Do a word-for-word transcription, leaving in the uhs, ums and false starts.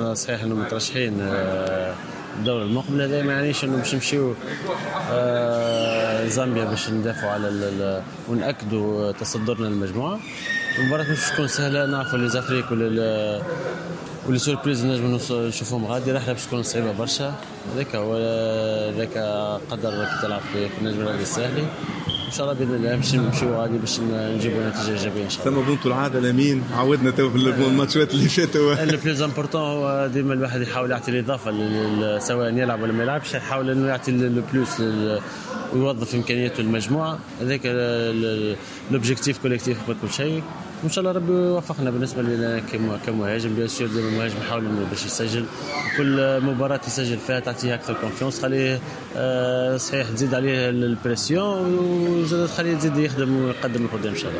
احنا صحيح انه مترشحين آه، الدورة المقبلة، هذا ما يعنيش انه باش نمشيو آه، زامبيا باش ندافعوا على ونأكدوا تصدرنا للمجموعة. المباراة مش تكون سهلة، نعرفوا les Afriques ولا و les surprises نجم نشوفهم غادي. رحلة باش تكون صعيبة برشا، هذاك هو هذاك قدر كي تلعب في النجم الرياضي الساحلي. ان شاء الله باذن الله باش نمشيو غادي باش نجيبوا نتيجة ايجابية ان شاء الله. ثم بونتو العادة الامين، عودنا تو في الماتشات اللي فاتوا. le plus important هو ديما الواحد يحاول يعطي الاضافه، سواء يلعب ولا ما يلعبش، يحاول انه يعطي le plus ويوظف امكانياته المجموعه. هذاك l'objectif collectif قبل كل شيء، وان شاء الله ربي يوفقنا. بالنسبة لنا كمهاجم، bien sûr ديما المهاجم يحاول انه باش يسجل. كل مباراة يسجل فيها تعطيه اكثر confiance، خليه آه، صحيح تزيد عليه ال pression وزاد تخليه يزيد يخدم ويقدم القدام ان شاء الله.